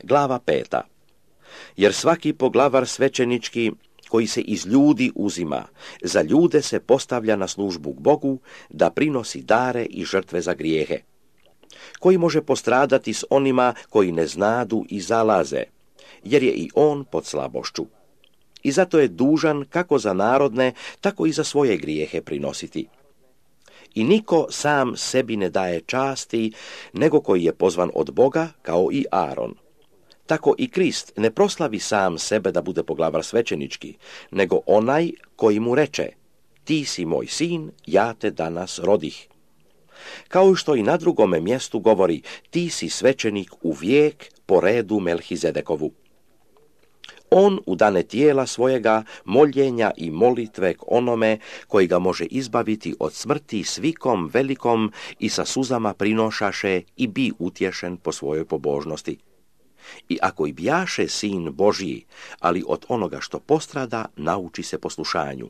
Glava 5. Jer svaki poglavar svećenički koji se iz ljudi uzima, za ljude se postavlja na službu k Bogu, da prinosi dare i žrtve za grijehe, koji može postradati s onima koji ne znadu i zalaze, jer je i on pod slabošću. I zato je dužan kako za narodne, tako i za svoje grijehe prinositi. I niko sam sebi ne daje časti, nego koji je pozvan od Boga, kao i Aron. Tako i Krist ne proslavi sam sebe da bude poglavar svećenički, nego onaj koji mu reče: ti si moj sin, ja te danas rodih. Kao što i na drugome mjestu govori: ti si svećenik u vijek po redu Melhizedekovu. On u dane tijela svojega moljenja i molitve k onome koji ga može izbaviti od smrti s vikom velikom i sa suzama prinošaše i bi utješen po svojoj pobožnosti. I ako i bjaše sin Božji, ali od onoga što postrada, nauči se poslušanju.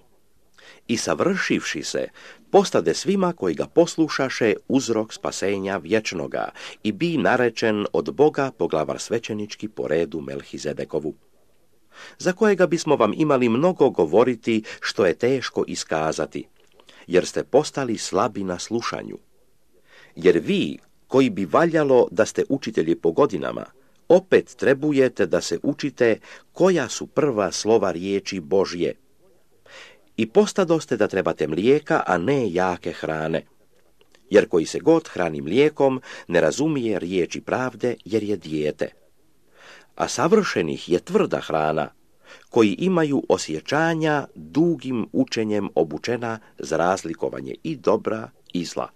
I savršivši se, postade svima koji ga poslušaše uzrok spasenja vječnoga i bi narečen od Boga poglavar svećenički po redu Melhizedekovu, za kojega bismo vam imali mnogo govoriti, što je teško iskazati, jer ste postali slabi na slušanju. Jer vi, koji bi valjalo da ste učitelji po godinama, opet trebujete da se učite koja su prva slova riječi Božje. I postadoste da trebate mlijeka, a ne jake hrane. Jer koji se god hrani mlijekom, ne razumije riječi pravde, jer je dijete. A savršenih je tvrda hrana, koji imaju osjećanja dugim učenjem obučena za razlikovanje i dobra i zla.